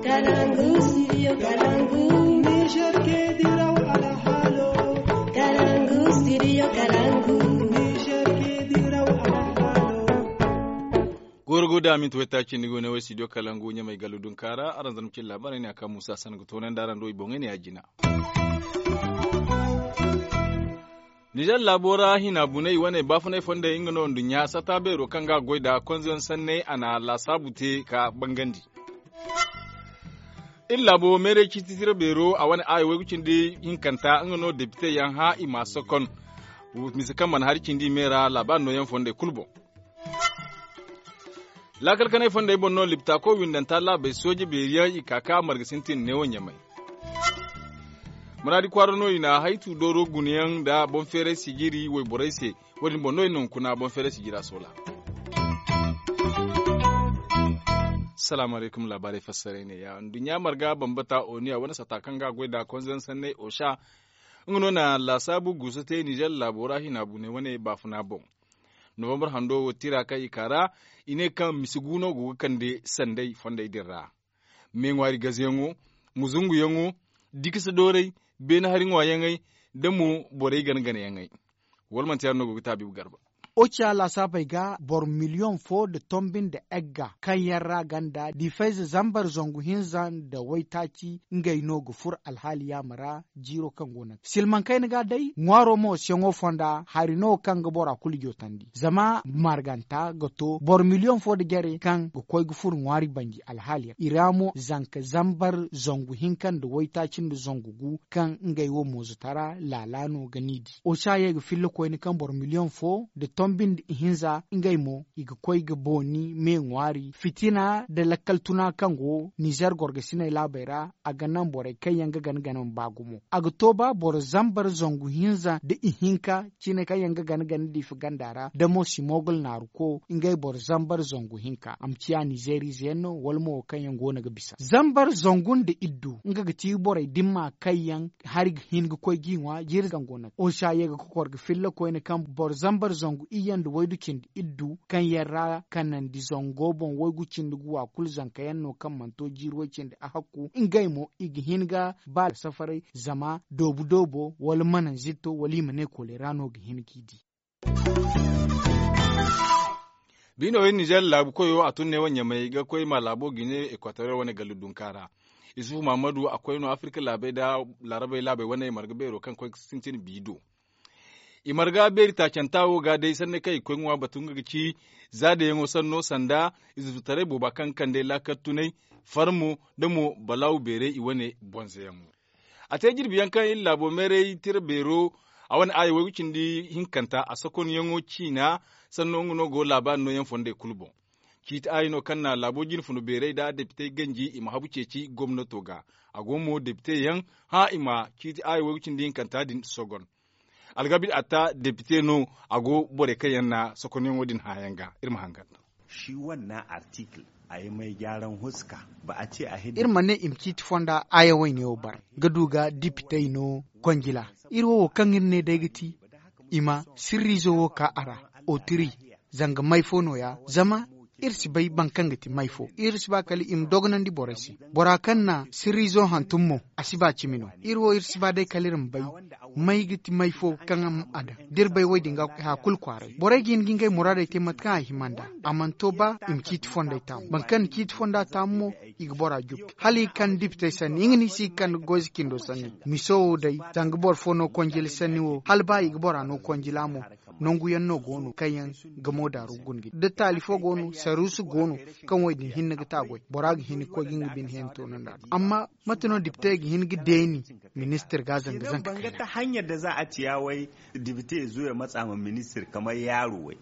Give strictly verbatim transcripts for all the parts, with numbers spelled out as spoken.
Kalangu, studio Kalangu. Niger ke diraw alhalo. Kalangu, studio Kalangu. Niger ke diraw alhalo. Goro go da minti wayta cindi go ne way studio Kalangu ɲamay gallu dunkaara araŋ zarma cin laabaarey ne a ka muusa san ga toonandi araŋ do i boŋey ne ya jina. Nizer laabo ra hina bunay wane baafunay fondey nga no nduɲɲa sata beero kaŋ ga goy nda konzeyaŋ sanney a na laasaabu te ka bangandi. Iri laabo meeray ciiti tira beero a wane aayo waygu cindi hinkanta nga no depite yaŋ hã i ma sokon. Mise kaŋ mana hari cindi i me ra laabaari nooyaŋ fondey kulu boŋ. Laakal kanay fondey boŋ no liptaako windanta laabey sooje beeri yaŋ i ka ka marga sintin neewo ɲamay. Muraadi kwaara no i na haytu dooro gunayaŋ nda boŋ feeray sijiri wayborey se. Wo- din boŋ no i na hunkuna boŋ feeray sijira soola. Salaamu alaykum laabaarey fassaray ne ya nduɲɲa marga bambata oniya wane sata kaŋ ga a goy nda konzeyaŋ sanney osa. Nga no na laasaabu guusa te nizer laabo ra hina bunay wane baafuna boŋ. Novambar hando wo tira kaŋ i ka ra i ne kaŋ misi guuno go ga kande sanday fondey din ra. Me ŋwaari gazeyaŋo, muzunguyaŋo, dikisa doorey, beene hari ŋwaayaŋey, nda mo borey gana ganayaŋey. Wala manti yaŋ no go ga taabi garba. Oca laasaabey ga boro miliyoŋ fo nda tombi nda egga kaŋ yaŋ ra ganda difayze zambar zangu hinza nda waytaaci ngey no ga furo alhaali yaama ra. Jiiro kaŋ go no silmaŋ kayna ga day ŋwaaro mo siyaŋo fonda hari no kaŋ ga bora kulu jootandi zama marganta ga to boro miliyoŋ fo nda jare kaŋ ga koy ga furo ŋwaari banji alhaali yaŋ i ra mo zanka zambar zangu hinka nda waytaaci nda zangu gu kaŋ ngey wo moozutara laala no ga ni di oca ye ga filla koyne kaŋ boro miliyoŋ fo nda tombi nda ihinza ngey mo i ga koy ga booni me ŋwaari fitina nda lakkal tuna kaŋ go nizer gorgasiney laabey ra a ga naŋ borey kaŋ yaŋ ga gana gana ma ba gumo a ga to ba boro zambar zangu hinza nda ihinka cine kaŋ yaŋ ga gana gana diifa ganda ra da mo simogul naaru ko ngey boro zambar zangu hinka a ma ciya nizer ize yaŋ no wala mo wo kaŋ yaŋ go no ga bisa zambar zangu nda iddu nga ga ti borey dimma kaŋ yaŋ hari ga hin ga koy ga i ŋwa jiiri kaŋ go no osa ye ga kokor ga filla koyne kaŋ boro zambar zangu iyye nda waydu cindi iddu kaŋ yaŋ ra kanandi zango boŋ waygu cindi gu wa kulu zanka yaŋ no kaŋ mana to jiiri way cindi a hakku ngey mo i ga hin ga ba safaray zama doobu doobo wala mananzitto wala i ma ne kolera no ga hin ga i di. Biino iri nizer laabu koyo a tun ne wane ɲamay ga koy ma laabo gine ekwatoriyel wane gallu dunka ra. Isufu mahamadu a koy no afirka laabey nda laarabey laabey wane marga beero kaŋ koy ga sintin bi do. I marga beeri taacanta wo ga day sanni kaŋ i ga koy ŋwa batu nga ga ci zaadayaŋo sanno sanda izufutaray booba kaŋ ga kande laakal tunay farmo nda mo balaawu beeray i wane bonzayaŋo. A te jirbi yaŋ kaŋ iri laabo meeray tira beero a wane aayo waygu cindi hinkanta a sokonyaŋo ciina sanno nga no go laabaari nooyaŋ fondey kulu boŋ. Ciiti aayo no kaŋ na laabo jinfuna beeray nda depitey ganji i ma habu ceeci gomnato ga. A go mo depitey yaŋ hã i ma ciiti aayo waygu cindi hinkanta din sogon. Algabid atta depite no a go borey kaŋ yaŋ na sokonyaŋo din hã yaŋ ga iri ma hangan. Shi wannan article a yi mai gyaran huska. Ba a ce a hidda iri ma ne i ma ciiti fonda aya wayne wo bar ga du ga dipitey no konjila. Iri wo wo kaŋ iri ne day ga ti i ma sirriizo wo ka a ra otiri zanga may fo no- ya zama iri si bay boro kaŋ ga ti may fo iri si ba kala i ma dogonandi borey se. Bora kaŋ na sirriizo hantum mo a si ba cimi no. Iri wo iri si ba day kala iri ma bay may ga ti may fo kaŋ a ma a daŋ da iri bay wo- din ga hay kulu kwaaray borey ga hin ga ngey muraadey te mate kaŋ a hima nd'a. A mana to ba i ma ciiti fondey taamu boro kaŋ na ciiti fonda taamu mo i ga bora jukki hala i ga kande dipitey sanni nga no i si ga kande goyze cindo sanni. Miso wo day zanga boro fo no konjila sanni wo hala ba i ga bora no konjila mo. Nangu yaŋ no go no kaŋ yaŋ ga moodaru guna ga da taali fo go no saruusu go no kaŋ wo- din hinne ga ta goy bora ga hin ga koy ga nga bine heentoonandi a do amma mate no dipitey ga hin ga deeni ministir ga zanga zanga kayna. Hanya da za a ciya wai dipite ya zo ya matsa ma ministir kamar yaro wai.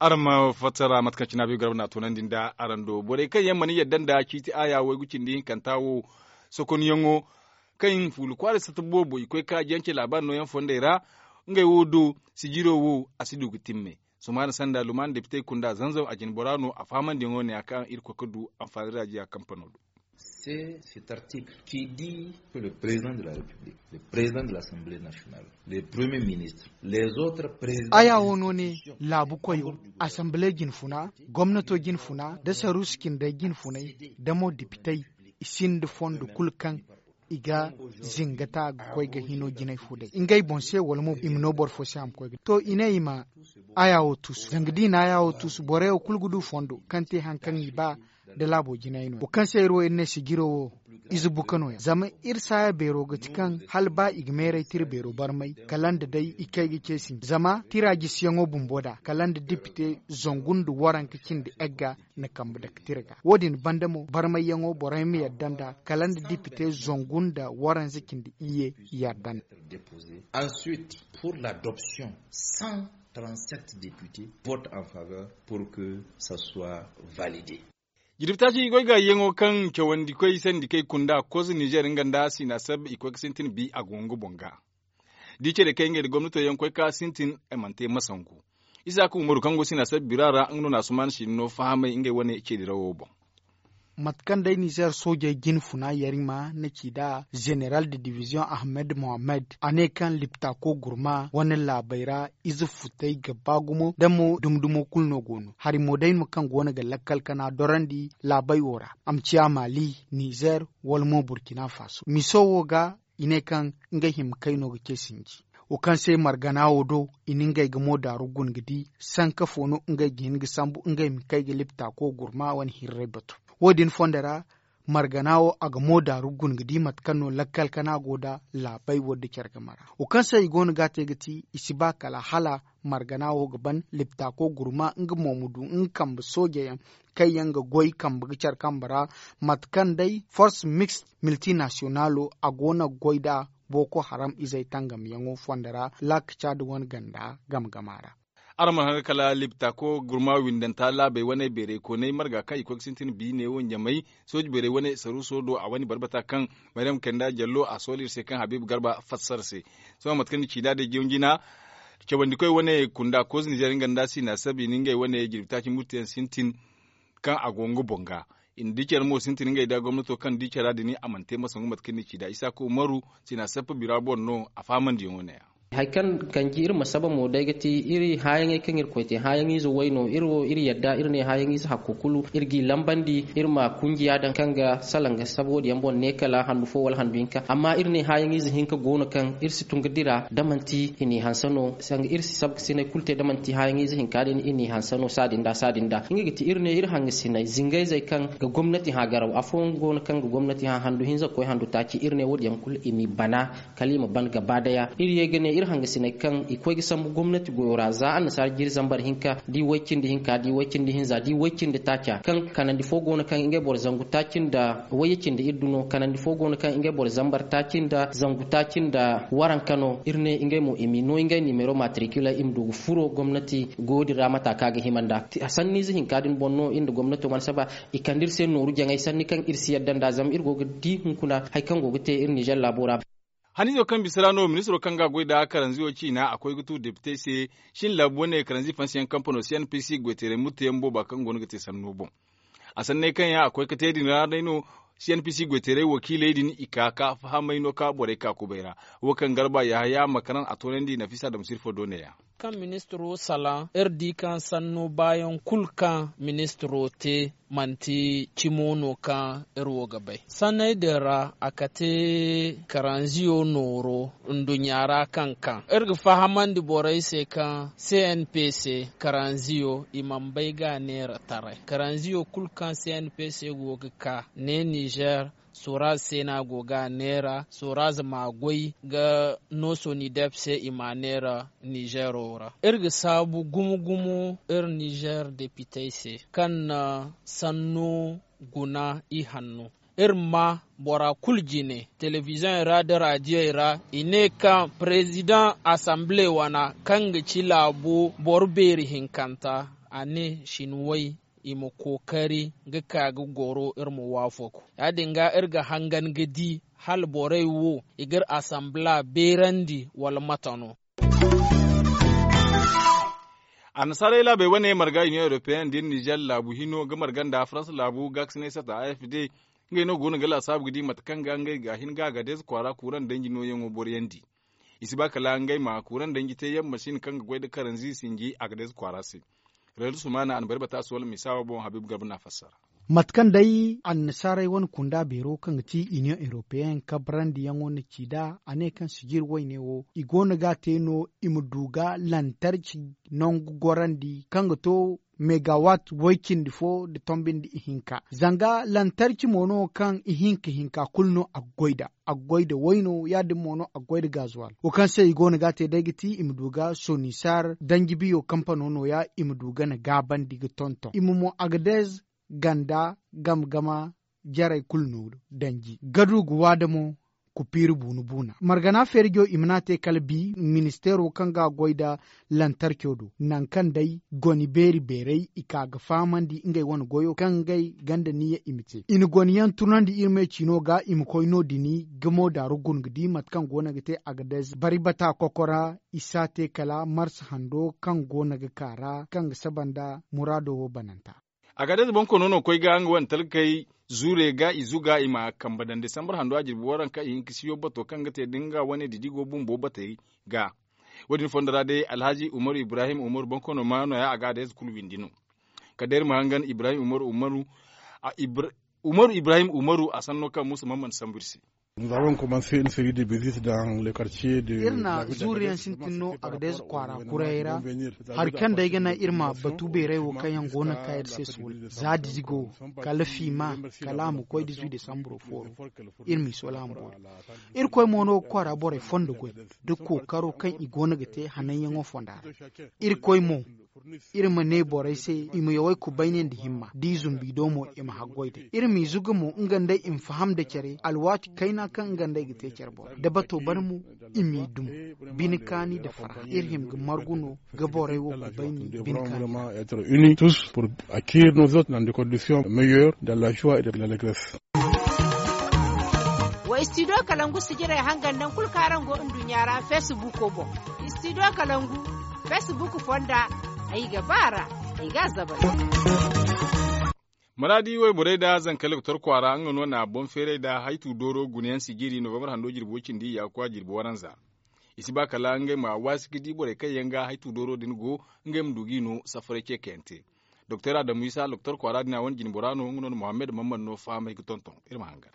Araŋ ma fassara mate kaŋ cine a bay garba na a toonandi nda araŋ do borey kaŋ yaŋ mana yadda nda ciiti aya waygu cindi hinkanta wo sokonyaŋo kaŋ fuula kwaara satta boobo i koy ka jance laabaari nooyaŋ fondey ra. Ngey wo do sijiro wo a si du ga timme. Sumaana sanda lumaana depitey kunda zanzam a jine bora no a fahamandiyaŋo ne ya kaŋ iri koy ga du anfaani raajiya kampano do. C'est cet article qui dit que le président de la république le président de l'assemblée nationale le premier ministre les autres présidents aya wo no ne laabu koyo assemblée jinfuna gomnato jinfuna da saruusu cindey jinfunay da mo depitey I sinda fondo kulu kaŋ i ga zinga ta ga koy ga hino jinay fo day ngey boŋ se wala mo i ma no boro fo se a ma koy ga to i ne i ma aya wo tuusu zanga da i na aya wo tuusu borey wo kulu ga du fondo kaŋ te hari kaŋ i ba da laabo jinay no wo kaŋ se iri wo iri ne sijiro wo ize buka no- ya zama iri saaya beero ga ti kaŋ hala ba i ga meeray te iri beero barmay kala nda day i kay ga ce sinji zama tira jisiyaŋo bumbo da kala nda dipite zangu nda waranka cindi egga na kambe dake tira ga wo- din banda mo barmayyaŋo borey ma yadda nda kala nda dipite zangu nda waranza cindi iyye yadda nda. Ensuite, pour l'adoption, cent trente-sept députés votent en faveur pour que ça soit validé. Jirbi taaci i goy ga yaŋo kaŋ cawandi koy sandi kay kunda kozo nizer nga nda sina sab i koy ga sintin bi a go nga boŋ ga. Da i ce da kay ngey da gomnato yaŋ koy ka sintin ay mana te masangu. Isa ka umaru kaŋ go sina sab bira ra nga no na suman sina no fahamay ngey wane ce dirawo boŋ. Mate kaŋ day nizer soojey jine funa yarima na ci nd'a zeneral de diviziyoŋ ahmed mohammed a ne kaŋ liptako gurma wane laabey ra ize futey ga ba gumo da mo dumi dumo kulu no go no hari mo day no kaŋ go no ga lakkal kana dorandi laabey wo ra a ma ciya maali nizer wala mo burkina faso miso wo ga i ne kaŋ ngey hima kay no ga ce sinji wo kaŋ se margana wo do i na ngey ga mo daaru guna ga di sanka fo no ngey ga hin ga sambu ngey ma kay ga lipta ko gurma wane hirray batu wo- din fondo ra margana wo a ga mo daaru guna ga di mate kaŋ no lakkal kana go nda laabey wo nda care game ra wo kaŋ se i go no ga a te ga ti i si ba kala hala margana wo ga ban lipta ko gurma nga mo ma du nga kambe sooje yaŋ kaŋ yaŋ ga goy kambe ga care kambe ra mate kaŋ day force mixte miltinasiyonalo a go no ga goy nd'a boko haram izey tangamyaŋo fondo ra laakaca nda wane ganda game gama ra. Araŋ mana haŋ ga kala liptako gurma windanta laabey wane beerey kooney marga kaŋ i koy ga sintin biine wo ɲamey sooji beerey wane saruuso do a wane barbata kaŋ maryam kanda jallo a sooli iri se kaŋ habiibu garba fassara se. Sohõ mate kaŋ ni ci nd'a day jawjina cawandikoy wane kunda koz nizer nga nda siina sabi ni ngey wane jirbi taaci murteyaŋ sintin kaŋ a go nga boŋ ga. I na di care mo sintin ngey nda gomnato kaŋ di cara din a mana te masangu mate kaŋ ni ci nd'a isaaku umaru siina sappa bira boŋ no a faamandiyaŋo ne-ya. Hari kaŋ kanji iri ma saba mo day ga ti iri haayaŋey kaŋ iri koy te haayaŋize way no iri wo iri yadda iri ne haayaŋize hakko kulu iri g'i lambandi iri ma kunjiya daŋ kaŋ ga salaŋ ga saba wo- din yaŋ boŋ ne kala handu fo wala handu hinka amma iri ne haayaŋize hinka go no kaŋ iri si tun ga dira da manti i n'i hanse no sanga iri si saba ga sinay kulu te da manti haayaŋize hinka din i n'i hanse no saadin da saadin da nga ga ti iri ne iri hangasinay zingayzey kaŋ ga gomnati hã garaw afooyaŋ go no kaŋ ga gomnati hã handu hinza ga koy handu taaci iri ne wo- din yaŋ kulu i m'i bana kala i ma ban gaba daya iri ye ga ne iri hangasiney kaŋ i koy ga sambu gomnati goyo ra za annasaara jiri zambar hinka da i way cindi hinka da i way cindi hinza da i way cindi taaca kaŋ kanandi fo go no kaŋ ngey boro zangu taaci nda wayye cindi iri du no kanandi fo go no kaŋ ngey boro zambar taaci nda zangu taaci nda waranka no iri ne ngey mo i m'i no ngey nimero matricule i ma du ga furo gomnati goyo din ra mata kaŋ a ga hima nd'a sanniize hinka din boŋ no iri nda gomnato mana saba i kande iri se nooru jaŋay sanni kaŋ iri si yadda nd'a zama iri go ga di hunkuna hari kaŋ go ga te iri nizer laabo ra. Haniizo kaŋ bisa ra no ministiro kaŋ ga a goy nd'a karanziyo ciina a koy ga tu depitey se shin laabu wane karanzi fansiyaŋ kampano cnpc goyteeray murteyaŋ booba kaŋ go no ga te sanno boŋ. A sanney kaŋ yaŋ a koy ga te din ra day no cnpc goyteeray wakiiley din i ka ka fahamay no ka borey ka kubay ra. Wo kaŋ garba yahaya makaran a toonandi nafisa damsir fo do ne-ya. Kaŋ ministiro salaŋ iri di kaŋ sanno baayaŋ kulu kaŋ ministiro te manti cimo no kaŋ iri wo ga bay sanney din ra a kate karanziyo nooro nduɲɲa ra kaŋ kaŋ iri ga fahamandi borey se kaŋ cnpc karanziyo i mana bay ga a neera taray karanziyo kulu kaŋ cnpc go ga ka ne nizer soraz se no a go ga a neera soraz m'a goy ga no sonidep se i m'a neera nizero ra iri ga saabu gumo-gumo iri nizer depitey se kaŋ na sanno guna i hanno iri ma bora kulu jine telebiziyoŋey ra nda raadiyey ra i ne kaŋ parezidaŋ asamble wana kaŋ ga ci laabo boro beeri hinkanta a ne sinwey i ma kookari ga ka ga goro iri ma waafaku ya- din ga iri ga hangan ga di hala borey wo i ga iri asambla beerandi wala mate no. Annasaarey laabey wane marga union europeenne nda iri nizer laabu hino ga marga nda faransa laabu gaakasinay sata afd ngey no go no ga laasaabu ga di mate kaŋ ga ngey ga hin ga agadez kwaara kuuraŋ danji nooyaŋo boroyandi. I si ba kala ngey ma kuuraŋ danji te yaŋ masin kaŋ ga goy nda karanzi sinji agadez kwaara se. Raydu sumaana a na bari bata se wala misa wo boŋ habiibu garba no a fassara. Mate kaŋ day annasaarey wane kunda beero kaŋ ga ti iniyoŋ europeen kabrandi yaŋo na ci nd'a a ne kaŋ sijir wayne wo i go no ga a te no i ma du ga lantarci nangu gorandi kaŋ ga to megawatt way cindi fo nda tombi nda ihinka zanga lantarci mo no kaŋ ihinka hinka kulu no a ga goy nd'a. A ga goy nda wayno ya- din mo no a ga goy nda gazuwal wo kaŋ se i go no ga a te day ga ti i ma du ga sonisar danji biyo kampano no- ya i ma du ga na gaabandi ga tonton i ma mo agadez ganda gama gama jarey kulu no danji gadu ga waada mo. Kupiiri buuna buuna margana feerijo i mana te kala bi ministeero kaŋ ga a goy nda lantarco do nangu kaŋ day goni beeri beerey i ka ga fahamandi ngey wane goyo kaŋ ngey ganda niya i ma te i na goni yaŋ tunandi iri me ciino ga i ma koy no- din ga mo daaru guna ga di mate kaŋ go no ga te agadez bari bata kokora i si a te kala marsa hando kaŋ go no ga ka ra kaŋ ga saba nda muraado wo bananta. Agadez boŋkono no koy ga nga wane talkey zuure ga i zuga i ma kambe daŋ desambar hando a jirbi waranka i hinka siyo bato kaŋ ga te da nga wane didigo bumbo batey ga. Wo- din fondo ra day alhaji umaru ibrahim umaru boŋkono ma no- ya agadez kulu windi no. Kala day iri ma hangan ibrahim umaru umaru a ibra- umaru ibrahim umaru a sanno kaŋ muusa mamman sambu iri se. Nous avons commencé une série de visites dans le quartier de iri na zuuriyaŋ sintin no agadez kwaara kurayey ra. Hari kaŋ day ga naŋ iri ma batu beeray wo kaŋ yaŋ go no ga ka iri se suula za dizigo kala fiima kala a ma koy dizuy desamburo fooro. Iri m'i sola a ma boori. Irkoy mo no ga kwaara borey fondo goy nda kookaro kaŋ i go no ga te hananyaŋo fonda ra. Irkoy mo iri ma ne borey se i ma yawey kubayne nda himma da i zumbi do mo i ma haggoy day iri m'i zuga mo nga nd'ey i ma faham nda care alwaati kayna kaŋ nga nd'ey ga te care boro da bato ban mo. I m'i dum bine kaani nda farhã iri hima ga margu no ga borey wo kubayne bine kaani ra. Être unis tous pour accueillir nos hôtes dans des conditions meilleures dans la joie et dans l'allégresse. Wa istidiyo kalangu sijirey hangan nangu kulu kaŋ araŋ go nduɲɲa ra feesibuuko boŋ. Istidiyo kalangu feesibuuko fonda ay ga ba a ra ay ga a zabari. Maraadi wayborey nda zanka loktor kwaara nga no na boŋ feeray nda haytu dooro gunayaŋ sijiri novambar hando jirbi way cindi iyaakuwa jirbi waranza. I si ba kala ngey ma waasi ga di borey kaŋ yaŋ ga haytu dooro din go ngey ma du g'i no safaray ceekayaŋ te. Doktor adamu isa loktor kwaara din a wane jinbora no nga no na mohammed mamman no fahamay ga tonton iri ma hangan.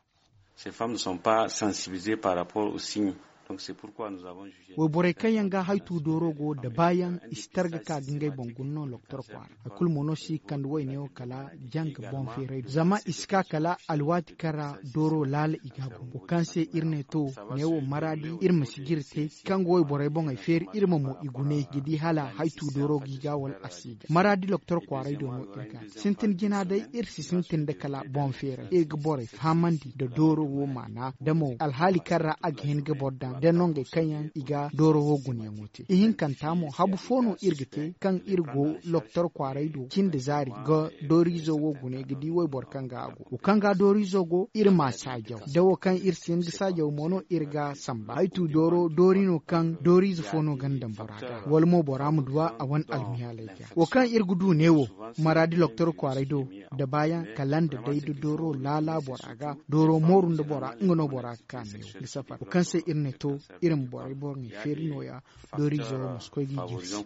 Ces femmes ne sont pas sensibilisées par rapport au signe. Donc c'est pourquoi nous avons jugé. Wayborey kaŋ yaŋ ga haytu dooro go da baayaŋ i si targa ka ga ngey boŋ guna no loktor kwaara. Hay kulu mo no si ga kande wayne wo kala janga boŋ feeray do zama i si ka kala alwaati kaŋ ra dooro laala i ga a boŋ wo kaŋ se iri ne to ne wo maraadi iri ma si jire te kaŋ ga wayborey boŋey feeri iri ma mo i gune ga di hala haytu dooro ga i ga wala a si ga maraadi loktor kwaaray do no iri ga sintin jina day iri si sintin nda kala boŋ feeray iri ga borey fahamandi nda dooro wo maana da mo alhaali kaŋ ra a ga hin ga boro daŋ da nongey kaŋ yaŋ i ga dooro wo gunayaŋo te ihinkanta mo habu fo no iri ga te kaŋ iri go loktor kwaaray do cindi zaari ga dooriizo wo gune ga di wayboro kaŋ ga a go wo kaŋ ga dooriizo go iri ma saajaw da wo kaŋ iri si hin ga saajaw mo no iri ga samba haytu dooro doori no kaŋ dooriize fo no ga ni daŋ bora ga wala mo bora ma duwa a wane almiyaaley ga wo kaŋ iri ga du ne wo maraadi loktor kwaaray do da baayaŋ kala nda day da dooro laala bora ga dooro mooru nda bora nga no bora ga ka ne wo ga safar wo kaŋ se iri ne to iri ma borey borey feeri nooya dooriizo ma si koy ga i jirsi.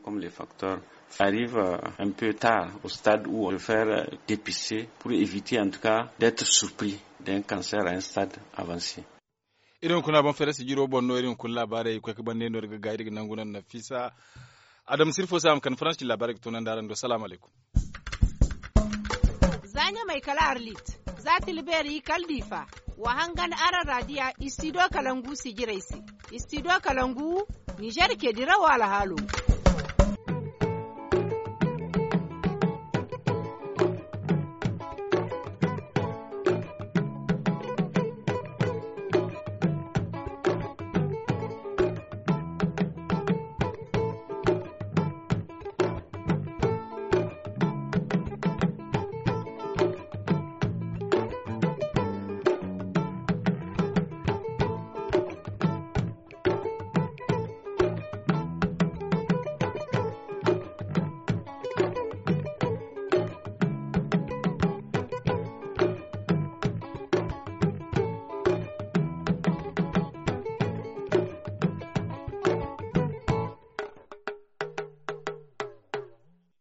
Arrive un peu tard au stade où on peut faire dépister pour éviter en tout cas d'être surpris d'un cancer à un stade avancé. Iri hunkuna boŋ feere sijiro boŋ no iri hunkuna laabaarey koy ka bande no iri ga gaay iri ga nangu naŋ nafisa. Adama sirfo se a ma kande faransi laabaarey ga toonandi araŋ do salaamu alaykum. Za ɲamay kala arlit za tilbeeri kala diifa. Wa hangan araŋ raadiya istidiyo kalangu sijirey se. Istidiyo kalangu nizer ke dirawo alhaalo.